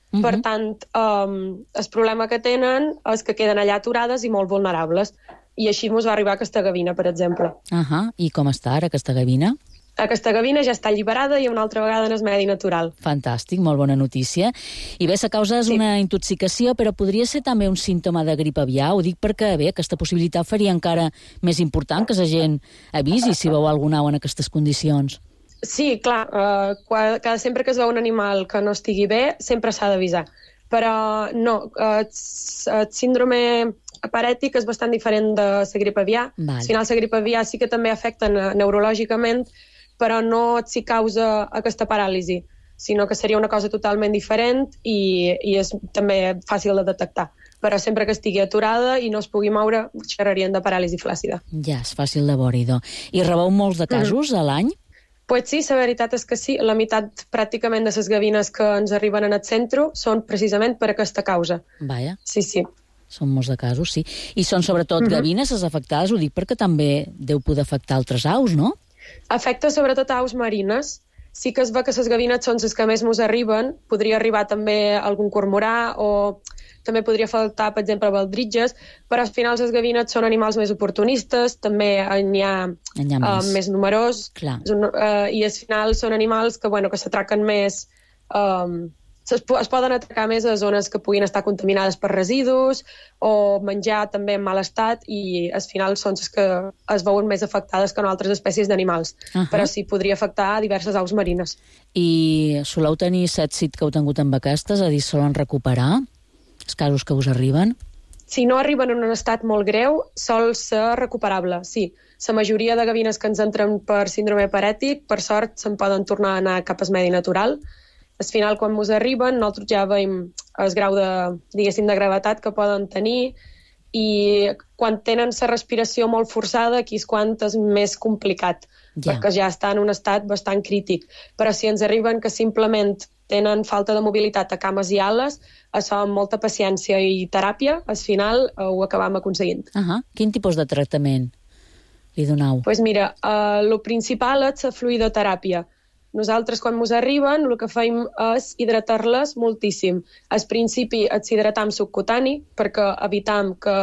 Uh-huh. Per tant, um, el problema que tenen és que queden allà aturades i molt vulnerables. I així ens va arribar aquesta gavina, per exemple. Uh-huh. I com està ara aquesta gavina? Aquesta gavina ja està alliberada i una altra vegada en el medi natural. Fantàstic, molt bona notícia. I bé, la causa és sí. una intoxicació, però podria ser també un símptoma de grip aviar? Ho dic perquè, bé, aquesta possibilitat faria encara més important que la gent avisi si veu algun au en aquestes condicions. Sí, clar, uh, cada, sempre que es veu un animal que no estigui bé, sempre s'ha d'avisar. Però no, uh, el síndrome parètic és bastant diferent de la grip aviar. Vale. Al final, la grip aviar sí que també afecta neurològicament, però no s'hi causa aquesta paràlisi, sinó que seria una cosa totalment diferent i, i és també fàcil de detectar. Però sempre que estigui aturada i no es pugui moure, xerrarien de paràlisi flàccida. Ja, és fàcil de veure, idò. I rebeu molts de casos mm. a l'any? Pues sí, la veritat és que sí. La meitat pràcticament de les gavines que ens arriben en el centre són precisament per aquesta causa. Vaja. Sí, sí. Són molts de casos, sí. I són sobretot uh-huh. gavines les afectades, ho dic perquè també deu poder afectar altres aus, no? Afecta sobretot aus marines. Sí que es va que les gavines són les que més ens arriben. Podria arribar també algun cormorà o també podria faltar, per exemple, baldritges, però al final les gavines són animals més oportunistes, també n'hi ha, ha més. Uh, més numerós, un, uh, i al final són animals que, bueno, que s'atraquen més, um, es, es poden atracar més a zones que puguin estar contaminades per residus o menjar també en mal estat, i al final són les que es veuen més afectades que en altres espècies d'animals. Uh-huh. Però sí, podria afectar a diverses aus marines. I soleu tenir èxit que heu tingut amb aquestes, a dir, solen recuperar els casos que us arriben? Si no arriben en un estat molt greu, sol ser recuperable, sí. La majoria de gavines que ens entren per síndrome parètic, per sort, se'n poden tornar a anar cap al medi natural. Al final, quan ens arriben, nosaltres ja veiem el grau de, diguéssim, de gravetat que poden tenir, i quan tenen la respiració molt forçada, aquí és quan és més complicat, ja. perquè ja està en un estat bastant crític. Però si ens arriben que simplement tenen falta de mobilitat a cames i ales, això amb molta paciència i teràpia, al final uh, ho acabam aconseguint. Uh-huh. Quin tipus de tractament li donau? Doncs pues mira, uh, el principal és la fluidoteràpia. Nosaltres, quan ens arriben, el que fem és hidratar-les moltíssim. Al principi els hidratam subcutani, perquè evitam que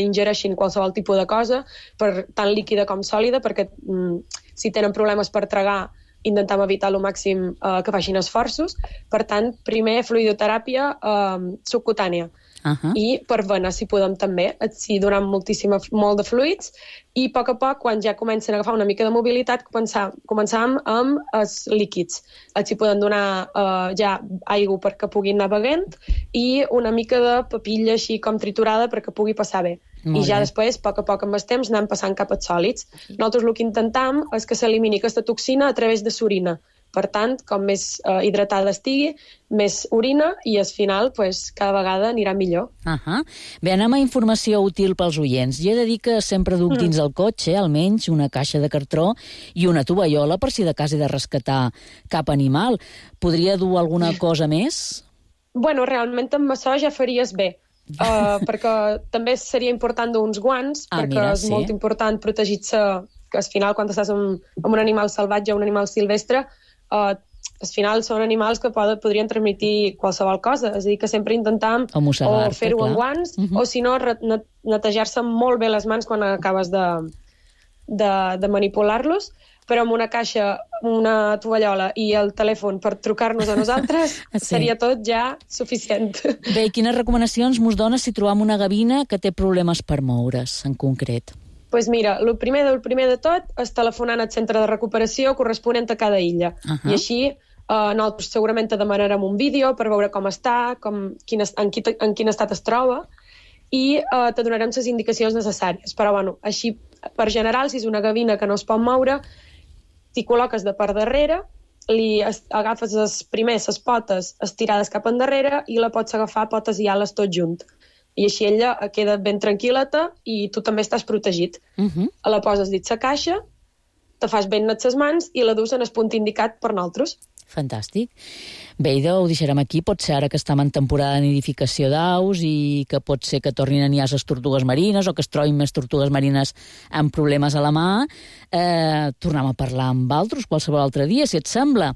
ingereixin qualsevol tipus de cosa, per tant líquida com sòlida, perquè mm, si tenen problemes per tragar, intentem evitar al màxim eh, que facin esforços. Per tant, primer fluidoteràpia eh, subcutània. Uh-huh. I per vena, si podem també, si donem moltíssim, molt de fluids, i a poc a poc, quan ja comencen a agafar una mica de mobilitat, començam, començam amb els líquids. Els hi poden donar eh, ja aigua perquè puguin anar beguent i una mica de papilla així com triturada perquè pugui passar bé. Molt I ja bé. Després, a poc a poc amb el temps, anem passant cap als sòlids. Nosaltres el que intentam és que s'elimini aquesta toxina a través de l'orina. Per tant, com més eh, hidratada estigui, més orina i al final pues, cada vegada anirà millor. Uh-huh. Bé, anem a informació útil pels oients. Jo he de dir que sempre duc mm. dins el cotxe almenys una caixa de cartró i una tovallola per si de cas he de rescatar cap animal. Podria dur alguna cosa més? Bueno, realment amb això ja faries bé. Uh, perquè també seria important dur uns guants, ah, perquè mira, és sí. molt important protegir-se, que al final quan estàs amb, amb un animal salvatge o un animal silvestre, uh, al final són animals que pod podrien transmetre qualsevol cosa, és a dir, que sempre intentam o, o fer-ho amb guants, uh-huh. o si no netejar-se molt bé les mans quan acabes de, de, de manipular-los, però amb una caixa, una tovallola i el telèfon per trucar-nos a nosaltres sí. seria tot ja suficient. Bé, i quines recomanacions mos dones si trobam una gavina que té problemes per moure's, en concret? Doncs pues mira, el primer del primer de tot és telefonant al centre de recuperació corresponent a cada illa. Uh-huh. I així eh, nosaltres segurament te demanarem un vídeo per veure com està, com, quin, en, quin, en quin estat es troba, i eh, te donarem les indicacions necessàries. Però, bueno, així, per general, si és una gavina que no es pot moure, t'hi col·loques de per darrere li agafes les primers les potes estirades cap endarrere i la pots agafar potes i ales tot junt. I així ella queda ben tranquil·leta i tu també estàs protegit. Uh-huh. La poses dins la caixa, te fas ben net les mans i la dus en el punt indicat per nosaltres. Fantàstic. Bé, idò, ho deixarem aquí. Pot ser ara que estem en temporada de nidificació d'aus i que pot ser que tornin a niar les tortugues marines o que es trobin més tortugues marines amb problemes a la mà. Eh, tornem a parlar amb altres qualsevol altre dia, si et sembla.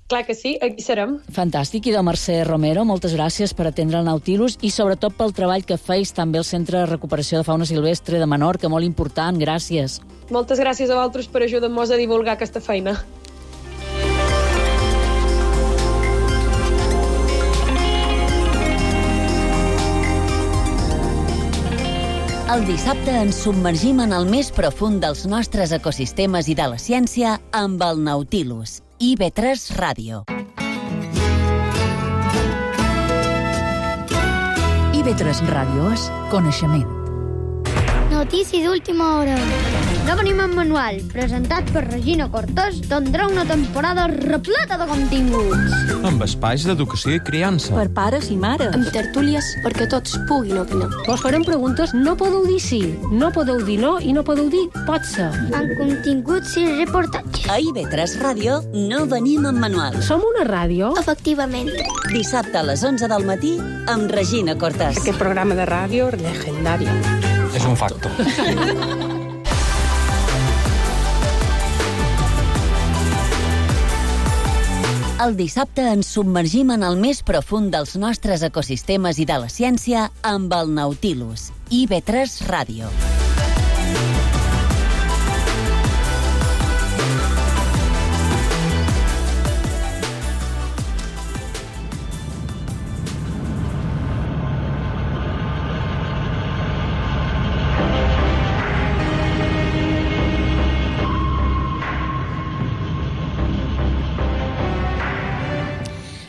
Clar que sí, aquí serem. Fantàstic. Idò Mercè Romero, moltes gràcies per atendre el Nautilus i sobretot pel treball que feis també al Centre de Recuperació de Fauna Silvestre de Menorca, molt important. Gràcies. Moltes gràcies a vosaltres per ajudar-nos a divulgar aquesta feina. El dissabte ens submergim en el més profund dels nostres ecosistemes i de la ciència amb el Nautilus. I ve tres Ràdio. I ve tres Ràdio és coneixement. Notícies d'última hora. No venim en manual, presentat per Regina Cortés, tindrà una temporada repleta de continguts. Amb espais d'educació i criança. Per pares i mares. Amb tertúlies perquè tots puguin opinar. Vos farem preguntes, no podeu dir sí, no podeu dir no i no podeu dir pot ser. Amb continguts i reportatges. A I ve tres Ràdio no venim en manual. Som una ràdio? Efectivament. Dissabte a les onze del matí amb Regina Cortés. Aquest programa de ràdio legendari. És un facto. El dissabte ens submergim en el més profund dels nostres ecosistemes i de la ciència amb el Nautilus. I ve tres Ràdio.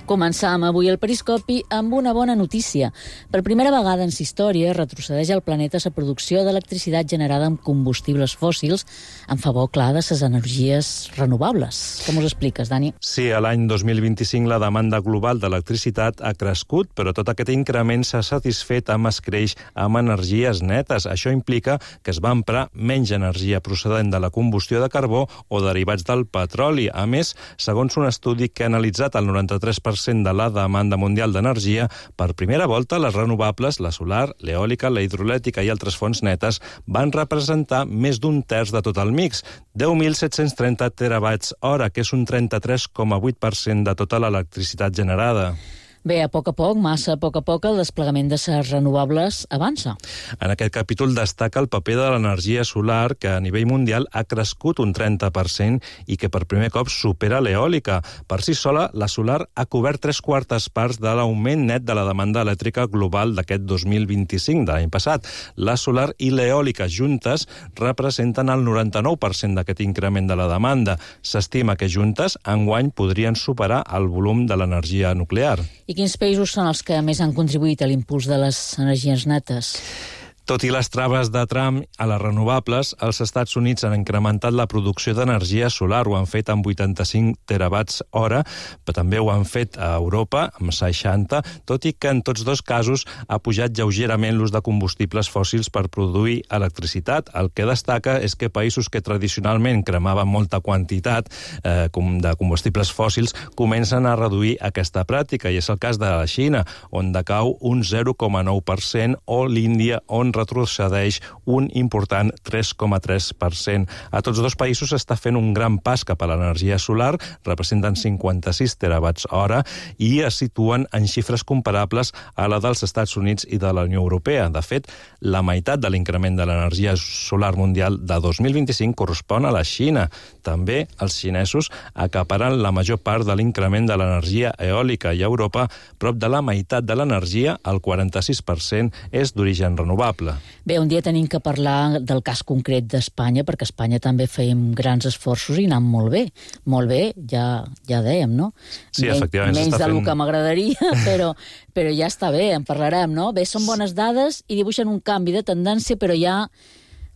Començam avui el periscopi amb una bona notícia. Per primera vegada en la història retrocedeix el planeta la producció d'electricitat generada amb combustibles fòssils en favor, clar, de les energies renovables. Com us expliques, Dani? Sí, a l'any dos mil vint-i-cinc la demanda global d'electricitat ha crescut, però tot aquest increment s'ha satisfet amb escreix amb energies netes. Això implica que es va emprar menys energia procedent de la combustió de carbó o derivats del petroli. A més, segons un estudi que ha analitzat el noranta-tres per cent de la demanda mundial d'energia, per primera volta les renovables, la solar, l'eòlica, la hidroelèctrica i altres fonts netes van representar més d'un terç de tot el mix, deu mil set-cents trenta terawatts hora, que és un trenta-tres coma vuit per cent de tota l'electricitat generada. Bé, a poc a poc, massa a poc a poc, el desplegament de les renovables avança. En aquest capítol destaca el paper de l'energia solar, que a nivell mundial ha crescut un trenta per cent i que per primer cop supera l'eòlica. Per si sola, la solar ha cobert tres quartes parts de l'augment net de la demanda elèctrica global d'aquest dos mil vint-i-cinc, de l'any passat. La solar i l'eòlica juntes representen el noranta-nou per cent d'aquest increment de la demanda. S'estima que juntes, enguany, podrien superar el volum de l'energia nuclear. I quins països són els que més han contribuït a l'impuls de les energies netes? Tot i les traves de Trump a les renovables, els Estats Units han incrementat la producció d'energia solar. Ho han fet amb vuitanta-cinc terawatts hora, però també ho han fet a Europa, amb seixanta, tot i que en tots dos casos ha pujat lleugerament l'ús de combustibles fòssils per produir electricitat. El que destaca és que països que tradicionalment cremaven molta quantitat eh, de combustibles fòssils comencen a reduir aquesta pràctica, i és el cas de la Xina, on decau un zero coma nou per cent, o l'Índia, on retrocedeix un important tres coma tres per cent. A tots dos països s'està fent un gran pas cap a l'energia solar, representen cinquanta-sis terawatts hora i es situen en xifres comparables a la dels Estats Units i de la Unió Europea. De fet, la meitat de l'increment de l'energia solar mundial de dos mil vint-i-cinc correspon a la Xina. També els xinesos acaparen la major part de l'increment de l'energia eòlica, i a Europa prop de la meitat de l'energia, el quaranta-sis per cent, és d'origen renovable. Bé, un dia tenim que parlar del cas concret d'Espanya, perquè a Espanya també fèiem grans esforços i anant molt bé. Molt bé, ja, ja dèiem, no? Sí, efectivament. Menys del fent... que m'agradaria, però, però ja està bé, en parlarem, no? Bé, són bones dades i dibuixen un canvi de tendència, però ja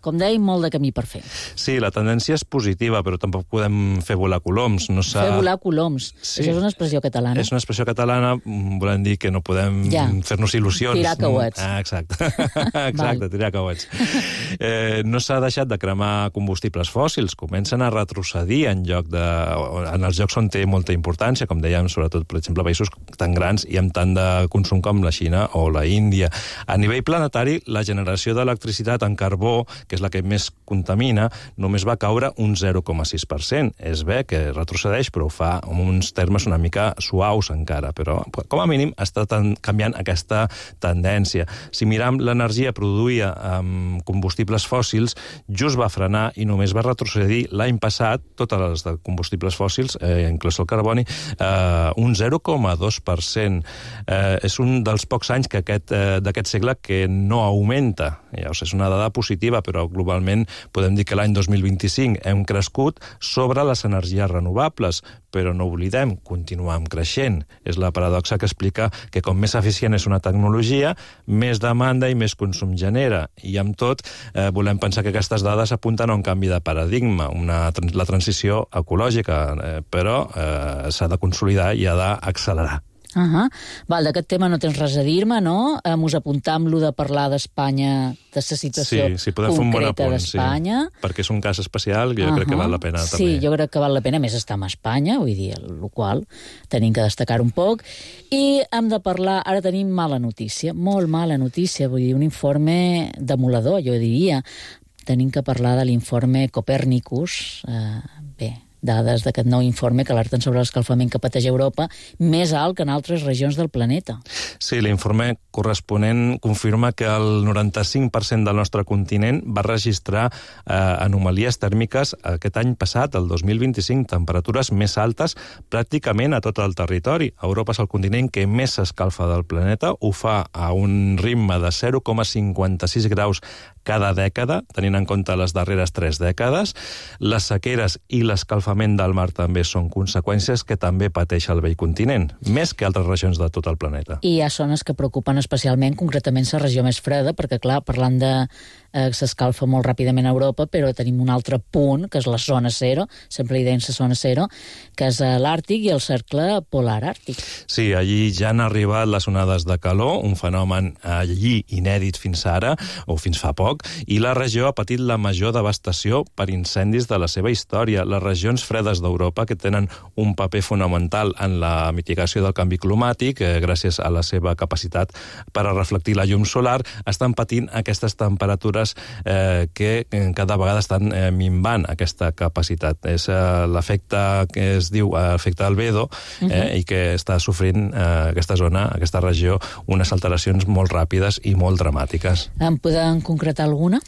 com dèiem, molt de camí per fer. Sí, la tendència és positiva, però tampoc podem fer volar coloms. No fer volar coloms. Sí. Això és una expressió catalana. És una expressió catalana, volem dir que no podem ja. fer-nos il·lusions. Tirar cauets. Ah, exacte, exacte, tirar cauets. Eh, no s'ha deixat de cremar combustibles fòssils, comencen a retrocedir en lloc de... en els llocs on té molta importància, com dèiem, sobretot, per exemple, països tan grans i amb tant de consum com la Xina o la Índia. A nivell planetari, la generació d'electricitat en carbó, que és la que més contamina, només va caure un zero coma sis per cent. És bé que retrocedeix, però ho fa amb uns termes una mica suaus encara, però com a mínim està canviant aquesta tendència. Si miram l'energia produïda amb combustibles fòssils, just va frenar i només va retrocedir l'any passat, totes les de combustibles fòssils, eh, inclòs el carboni, eh, un zero coma dos per cent. Eh, és un dels pocs anys que aquest, eh, d'aquest segle que no augmenta. Ja, o sigui, és una dada positiva, però globalment podem dir que l'any dos mil vint-i-cinc hem crescut sobre les energies renovables, però no oblidem, continuem creixent. És la paradoxa que explica que com més eficient és una tecnologia, més demanda i més consum genera. I amb tot, eh, volem pensar que aquestes dades apunten a un canvi de paradigma, una, la transició ecològica, eh, però eh, s'ha de consolidar i ha d'accelerar. Uh -huh. Val, d'aquest tema no tens res a dir-me, no? Eh, mos apuntam lo de parlar d'Espanya, de la situació sí, sí, podem concreta bon d'Espanya. Sí, perquè és un cas especial que jo uh -huh. crec que val la pena sí, també. Sí, jo crec que val la pena, més estar a Espanya, vull dir, el qual tenim que destacar un poc. I hem de parlar, ara tenim mala notícia, molt mala notícia, vull dir, un informe demoledor, jo diria. Tenim que parlar de l'informe Copernicus, eh, bé, dades d'aquest nou informe que alerten sobre l'escalfament que pateix Europa, més alt que en altres regions del planeta. Sí, l'informe corresponent confirma que el noranta-cinc per cent del nostre continent va registrar eh, anomalies tèrmiques aquest any passat, el dos mil vint-i-cinc, temperatures més altes pràcticament a tot el territori. Europa és el continent que més s'escalfa del planeta, ho fa a un ritme de zero coma cinquanta-sis graus cada dècada, tenint en compte les darreres tres dècades. Les sequeres i l'escalfament del mar també són conseqüències que també pateix el vell continent, més que altres regions de tot el planeta. I hi ha zones que preocupen especialment, concretament la regió més freda, perquè, clar, parlant de eh, s'escalfa molt ràpidament a Europa, però tenim un altre punt, que és la zona zero, sempre li deien la zona zero, que és l'Àrtic i el cercle polar àrtic. Sí, allí ja han arribat les onades de calor, un fenomen allí inèdit fins ara, o fins fa poc, i la regió ha patit la major devastació per incendis de la seva història. Les regions fredes d'Europa, que tenen un paper fonamental en la mitigació del canvi climàtic, eh, gràcies a la seva capacitat per a reflectir la llum solar, estan patint aquestes temperatures eh, que cada vegada estan eh, minvant aquesta capacitat. És eh, l'efecte que es diu eh, efecte albedo, eh, uh-huh. i que està sofrint eh, aquesta zona, aquesta regió, unes alteracions molt ràpides i molt dramàtiques. En podem concretar alguna?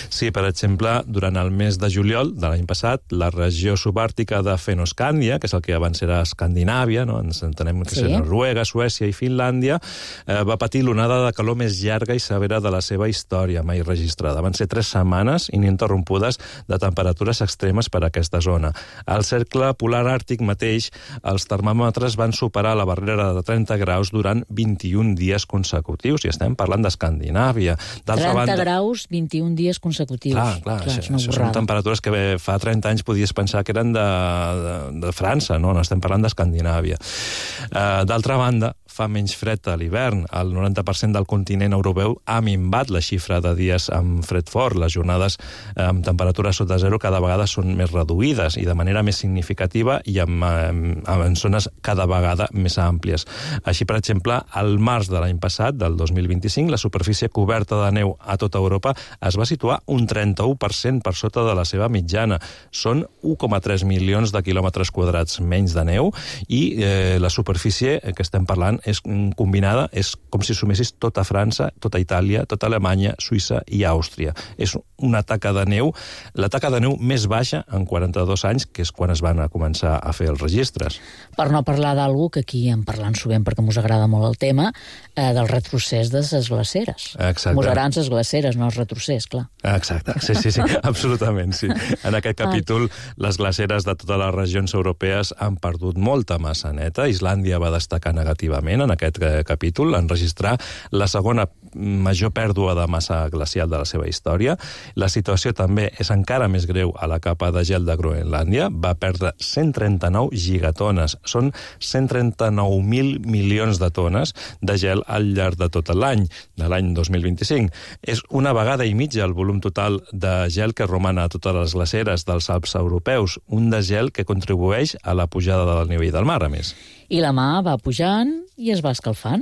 Sí, per exemple, durant el mes de juliol de l'any passat, la regió subàrtica de Fennoscàndia, que és el que abans era Escandinàvia, no? Ens entenem que sí. és Noruega, Suècia i Finlàndia, eh, va patir l'onada de calor més llarga i severa de la seva història mai registrada. Van ser tres setmanes ininterrompudes de temperatures extremes per a aquesta zona. Al cercle polar àrtic mateix, els termòmetres van superar la barrera de trenta graus durant vint-i-un dies consecutius, i estem parlant d'Escandinàvia. trenta banda... graus, vint-i-un dies consecutius. Clar, clar, clar això, això són temperatures que fa trenta anys podies pensar que eren de, de, de França, no? No estem parlant d'Escandinàvia. Uh, D'altra banda, fa menys fred a l'hivern. El noranta per cent del continent europeu ha minvat la xifra de dies amb fred fort. Les jornades amb temperatures sota zero cada vegada són més reduïdes i de manera més significativa i amb, amb, amb zones cada vegada més àmplies. Així, per exemple, al març de l'any passat, del dos mil vint-i-cinc, la superfície coberta de neu a tota Europa es va situar un trenta-u per cent per sota de la seva mitjana. Són un coma tres milions de quilòmetres quadrats menys de neu i eh, la superfície que estem parlant és combinada, és com si sumessis tota França, tota Itàlia, tota Alemanya, Suïssa i Àustria. És una taca de neu, la taca de neu més baixa en quaranta-dos anys, que és quan es van a començar a fer els registres. Per no parlar d'algú que aquí en parlant sovint perquè mos agrada molt el tema, eh, del retrocés de les glaceres. Exacte. Mos agraden les glaceres, no els retrocés, clar. Exacte, sí, sí, sí, absolutament, sí. En aquest capítol, les glaceres de totes les regions europees han perdut molta massa neta. Islàndia va destacar negativament, moment, en aquest capítol, en registrar la segona major pèrdua de massa glacial de la seva història. La situació també és encara més greu a la capa de gel de Groenlàndia. Va perdre cent trenta-nou gigatones. Són cent trenta-nou mil milions de tones de gel al llarg de tot l'any, de l'any dos mil vint-i-cinc. És una vegada i mitja el volum total de gel que roman a totes les glaceres dels Alps europeus, un desgel que contribueix a la pujada del nivell del mar, a més. I la mà va pujant i es va escalfant.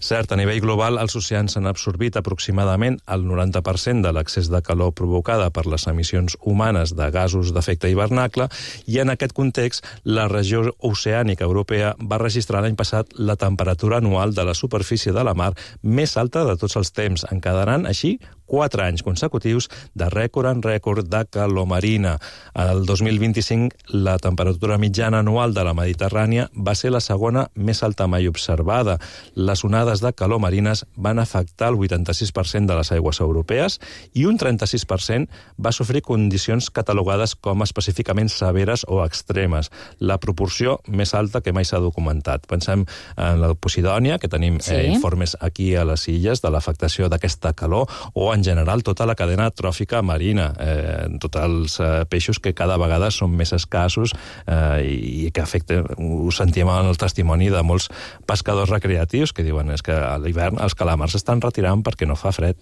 Cert, a nivell global, els oceans han absorbit aproximadament el noranta per cent de l'excés de calor provocada per les emissions humanes de gasos d'efecte hivernacle, i en aquest context, la regió oceànica europea va registrar l'any passat la temperatura anual de la superfície de la mar més alta de tots els temps, encadenant així quatre anys consecutius de rècord en rècord de calor marina. El dos mil vint-i-cinc, la temperatura mitjana anual de la Mediterrània va ser la segona més alta mai observada. Les onades de calor marines van afectar el vuitanta-sis per cent de les aigües europees i un trenta-sis per cent va sofrir condicions catalogades com específicament severes o extremes, la proporció més alta que mai s'ha documentat. Pensem en la Posidònia, que tenim sí. eh, informes aquí a les illes de l'afectació d'aquesta calor, o en en general tota la cadena tròfica marina, eh, tots els eh, peixos que cada vegada són més escassos eh, i que afecten, ho sentim en el testimoni de molts pescadors recreatius que diuen és que a l'hivern els calamars s'estan retirant perquè no fa fred.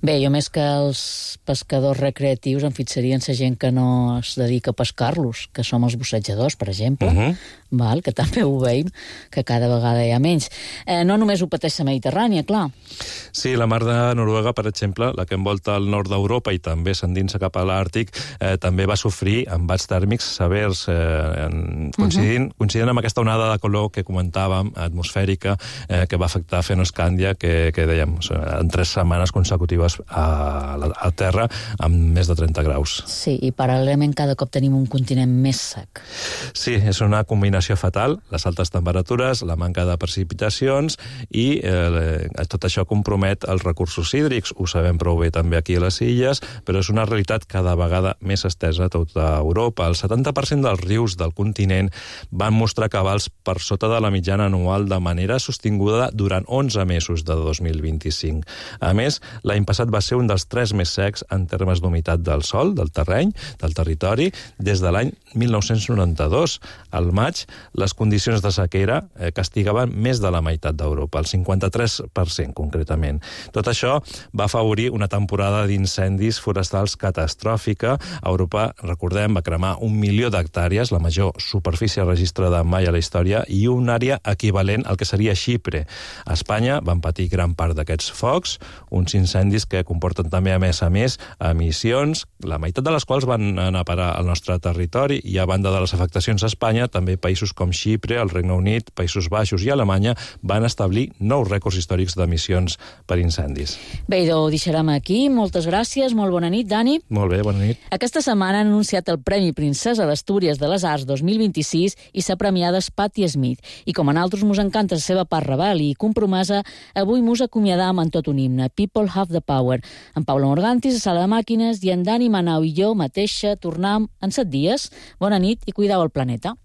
Bé, jo més que els pescadors recreatius em fixarien la gent que no es dedica a pescar-los, que som els bussejadors, per exemple, uh-huh. val, que també ho veiem, que cada vegada hi ha menys. Eh, no només ho pateix la Mediterrània, clar. Sí, la mar de Noruega, per exemple, la que envolta el nord d'Europa i també s'endinsa cap a l'Àrtic, eh, també va sofrir embats tèrmics severs, eh, coincidint, uh-huh. coincidint amb aquesta onada de calor que comentàvem, atmosfèrica, eh, que va afectar Fennoscàndia, que, que dèiem, en tres setmanes consecutives a la a terra, amb més de trenta graus. Sí, i paral·lelament cada cop tenim un continent més sec. Sí, és una combinació fatal, les altes temperatures, la manca de precipitacions i eh, tot això compromet els recursos hídrics, ho sabem prou bé també aquí a les illes, però és una realitat cada vegada més estesa a tota Europa. El setanta per cent dels rius del continent van mostrar cabals per sota de la mitjana anual de manera sostinguda durant onze mesos de dos mil vint-i-cinc. A més, l'any passat va ser un dels tres més secs en termes d'humitat del sòl, del terreny, del territori, des de l'any mil nou-cents noranta-dos. Al maig, les condicions de sequera eh, castigaven més de la meitat d'Europa, el cinquanta-tres per cent concretament. Tot això va afavorir una temporada d'incendis forestals catastròfica. Europa, recordem, va cremar un milió d'hectàrees, la major superfície registrada mai a la història, i una àrea equivalent al que seria Xipre. A Espanya van patir gran part d'aquests focs, uns incendis que comporten també, a més a més, emissions, la meitat de les quals van anar a parar al nostre territori, i a banda de les afectacions a Espanya, també països com Xipre, el Regne Unit, Països Baixos i Alemanya van establir nous rècords històrics d'emissions per incendis. Bé, ho deixarem aquí. Moltes gràcies. Molt bona nit, Dani. Molt bé, bona nit. Aquesta setmana han anunciat el Premi Princesa d'Astúries de les Arts dos mil vint-i-sis i s'ha premiada Patti Smith. I com a nosaltres mos encanta la seva part rebel i compromesa, avui mos acomiadam en tot un himne, People Have the Power. En Paula Morgantis, a Sala de Màquines, i en Dani Manau i jo mateixa tornam en set dies. Bona nit i cuidau el planeta.